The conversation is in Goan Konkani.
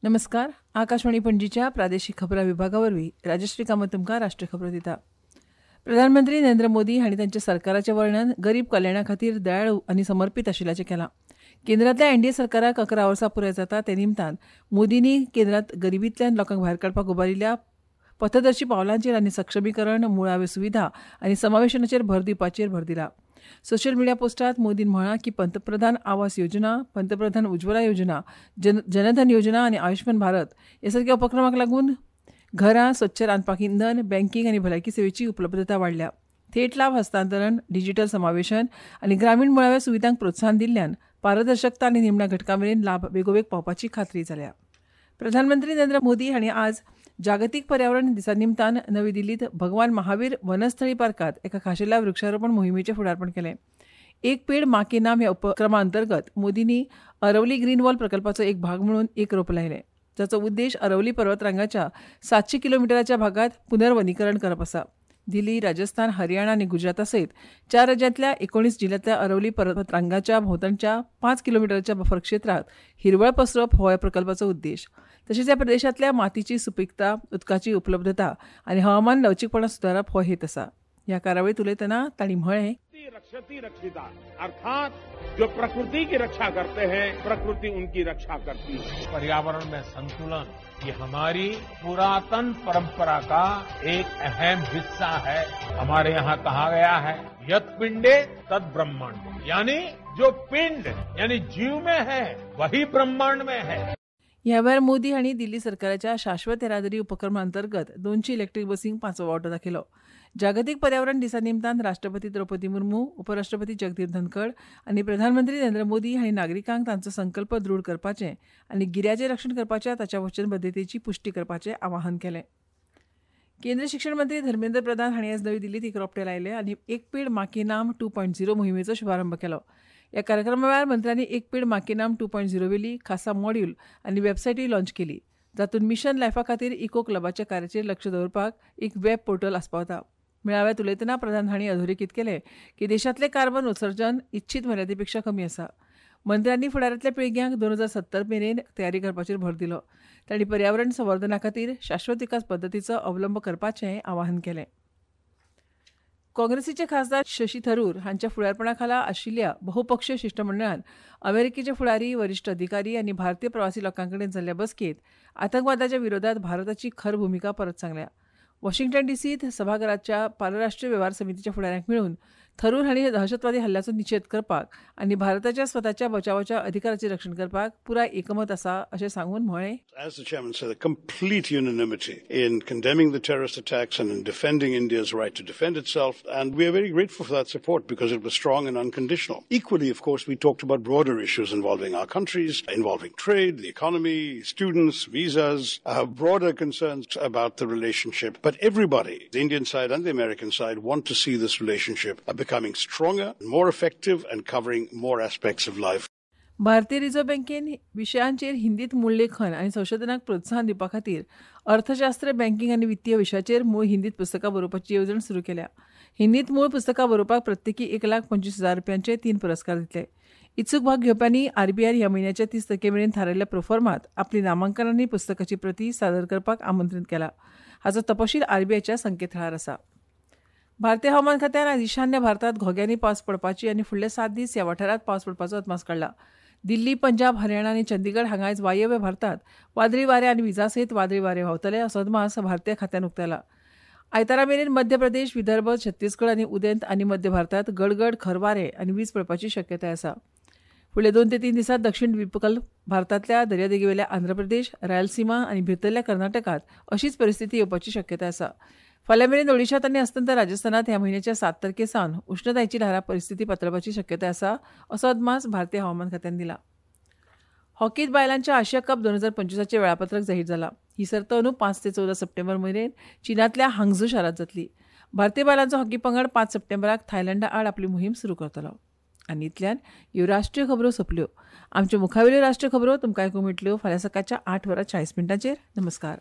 नमस्कार. आकाशवाणी पणजीच्या प्रादेशिक खबरां विभागा वरवीं राजश्री कामत तुमकां राष्ट्रीय खबरो दिता. प्रधानमंत्री नरेंद्र मोदी हांणी तांच्या सरकाराचें वर्णन गरीब कल्याणा खातीर दयाळू आनी समर्पित आशिल्ल्याचें केलां. केंद्रांतल्या एनडीए सरकाराक 11 वर्सां पुराय जाता ते निमतान मोदींनी केंद्रांत गरिबींतल्यान लोकांक भायर काडपाक उबारिल्ल्या पथदर्शी पावलांचेर आनी सक्षमीकरण, मुळाव्यो सुविधा आनी समावेशनाचेर भर दिवपाचेर भर दिला. सोशल मिडिया पोस्टात मोदीन म्हळां की पंतप्रधान आवास योजना, पंतप्रधान उज्ज्वला योजना, जनधन योजना आनी आयुष्मान भारत ह्या सारक्या उपक्रमांक लागून घरां, स्वच्छ रांदपाक इंधन, बँकींग आनी भलायकी सेवेची उपलब्धता वाडल्या. थेट लाभ हस्तांतरण, डिजिटल समावेशन आनी ग्रामीण मुळाव्या सुविधांक प्रोत्साहन दिल्ल्यान पारदर्शकता आनी निमण्या घटकां मेरेन लाभ बेगोबेग पावपाची खात्री जाल्या. प्रधानमंत्री नरेंद्र मोदी हांणी आज जागतीक पर्यावरण दिसा निमतान नवी दिल्लीत भगवान महावीर वनस्थळी पार्कात एका खाशेल्या वृक्षारोपण मोहिमेचें फुडारपण केलें. एक पेड माँ के नाम ह्या उपक्रमा अंतर्गत मोदींनी अरवली ग्रीन वॉल प्रकल्पाचो एक भाग म्हणून एक रोप लायलें, जाचो उद्देश अरवली पर्वतरांगाच्या 700 किलोमिटराच्या भागात पुनर्वनीकरण करप आसा. दिल्ली, राजस्थान, हरियाणा आनी गुजराता सयत 4 राज्यांतल्या 19 जिल्ह्यांतल्या अरवली पर्वतरांगाच्या भोंवतणच्या 5 किलोमिटरच्या बफर क्षेत्रांत हिरवळ पसरप हो ह्या प्रकल्पाचो उद्देश. तशेंच ह्या प्रदेशांतल्या मातीची सुपीकता, उदकाची उपलब्धता आनी हवामान लवचीकपणा सुदारप हो हेत आसा. ह्या कार्यावळींत उलयतना तांणी म्हळें, रक्षति रक्षिता, अर्थात जो प्रकृति की रक्षा करते हैं प्रकृति उनकी रक्षा करती है. पर्यावरण में संतुलन ये हमारी पुरातन परंपरा का एक अहम हिस्सा है. हमारे यहाँ कहा गया है यत पिंडे तद ब्रह्मांड, यानी जो पिंड यानी जीव में है वही ब्रह्मांड में है. ह्या वेळार मोदी हांणी दिल्ली सरकाराच्या शाश्वत येरादारी उपक्रमा अंतर्गत 200 इलेक्ट्रीक बसींक 5वो वांटो दाखयलो. जागतीक पर्यावरण दिसा निमतान राष्ट्रपती द्रौपदी मुर्मू, उपराष्ट्रपती जगदीप धनखड आनी प्रधानमंत्री नरेंद्र मोदी हांणी नागरिकांक तांचो संकल्प दृढ करपाचें आनी गिऱ्याचें रक्षण करपाच्या ताच्या वचनबद्धतेची पुश्टी करपाचें आवाहन केलें. केंद्रीय शिक्षण मंत्री धर्मेंद्र प्रधान हांणी आज नवी दिल्लीत एक रोपटें लायलें आनी एक पेड माँ के नाम 2.0 मोहिमेचो शुभारंभ केलो. ह्या कार्यक्रमा वेळार मंत्र्यांनी एक पेड माँ के नाम 2.0 वेली खासा मॉड्यूल आनी वेबसायटूय लॉन्च केली, जातूंत मिशन लायफा खातीर इको क्लबाच्या कार्याचेर लक्ष दवरपाक एक वेब पोर्टल आस्पावता. मेळाव्यात उलयतना प्रधान हांणी अधोरेखीत केलें की देशांतलें कार्बन उत्सर्जन इच्छीत मर्यादेपेक्षा कमी आसा. मंत्र्यांनी फुडारांतल्या पिळग्यांक 2070 मेरेन तयारी करपाचेर भर दिलो. तांणी पर्यावरण संवर्धना खातीर शाश्वत विकास पद्दतीचो अवलंब करपाचें आवाहन केलें. काँग्रेसीचे खासदार शशी थरूर हांच्या फुडारपणा खाला आशिल्ल्या बहुपक्षीय शिश्टमंडळान अमेरिकेचे फुडारी, वरिश्ठ अधिकारी आनी भारतीय प्रवासी लोकां कडेन जाल्ल्या बसकेंत आतंकवादाच्या विरोधात भारताची खर भुमिका परत सांगल्या. वॉशिंग्टन डीसीत सभाघराच्या पारराष्ट्रीय वेव्हार समितीच्या फुडाऱ्यांक मेळून थरूर हांणी दहशतवादी हल्ल्याचो निशेध करपाक आनी भारताच्या स्वताच्या बचावाच्या अधिकाराचें रक्षण करपाक पुराय एकमत आसा अशें सांगून म्हळें, As the chairman said, a complete unanimity in condemning the terrorist attacks and in defending India's right to defend itself, and we are very grateful for that support because it was strong and unconditional. Equally, of course, we talked about broader issues involving our countries, involving trade, the economy, students, visas, broader concerns about the relationship. But everybody, the Indian side and the American side, want to see this relationship becoming stronger, more effective and covering more aspects of life. भारतीय रिझर्व्ह बँकेन विशयांचेर हिंदीत मूळ लेखन आनी संशोधनाक प्रोत्साहन दिवपा खातीर अर्थशास्त्र, बँकिंग आनी वित्तीय विशयाचेर मूळ हिंदीत पुस्तकां बरोवपाची येवजण सुरू केल्या. हिंदीत मूळ पुस्तकां बरोवपाक प्रत्येकी 1,25,000 रुपयांचे 3 पुरस्कार दितले. इत्सूक भाग घेवप्यांनी आरबीआयन ह्या म्हयन्याच्या 30 तारखे मेरेन थारायल्ल्या प्रोफॉर्मात आपली नामांकन आनी पुस्तकाची प्रती सादर करपाक आमंत्रीत केला. हाचो तपशील आरबीआयच्या संकेतथळार आसा. भारतीय हवामान खात्यान आज ईशान्य भारतात घोग्यांनी पावस पडपाची आनी फुडले 7 दीस ह्या वाठारांत पावस पडपाचो अदमास काडला. दिल्ली, पंजाब, हरियाणा आनी चंदीगड हांगा आयज वायव्य भारतात वादळी वारें आनी विजा सयत वादळी वारें व्हांवतले असो अदमास भारतीय खात्यान उक्तायला. आयतारा मेरेन मध्य प्रदेश, विदर्भ, छत्तीसगड आनी उदेंत आनी मध्य भारतात गडगड, खर वारें आनी वीज पडपाची शक्यताय आसा. फुडले 2 ते 3 दिसांत दक्षिण द्वीपकल्प भारतांतल्या दर्यादेगेवेल्या आंध्र प्रदेश, रायलसीमा आनी भितरल्या कर्नाटकांत अशीच परिस्थिती येवपाची शक्यताय आसा. फाल्यां मेरेन ओडिशांत आनी अस्तंत राजस्थानात ह्या म्हयन्याच्या 7 तारखे सावन उश्णतायेची ल्हारां परिस्थिती पातळपाची शक्यताय आसा असो अदमास भारतीय हवामान खात्यान दिला. हॉकीत बायलांच्या आशिया कप 2025 वेळापत्रक जाहीर जाला. ही सर्त अंदू 5 ते 14 सप्टेंबर मेरेन चीनांतल्या हांगझू शारांत जातली. भारतीय बायलांचो हॉकी पंगड 5 सप्टेंबराक थायलंडा आड आपली मोहीम सुरू करतलो. आनी इतल्यान ह्यो राष्ट्रीय खबरो सोंपल्यो. आमच्यो मुखावेल्यो राष्ट्रीय खबरो तुमकां आयकूंक मेळटल्यो फाल्यां सकाळच्या 8:40. नमस्कार.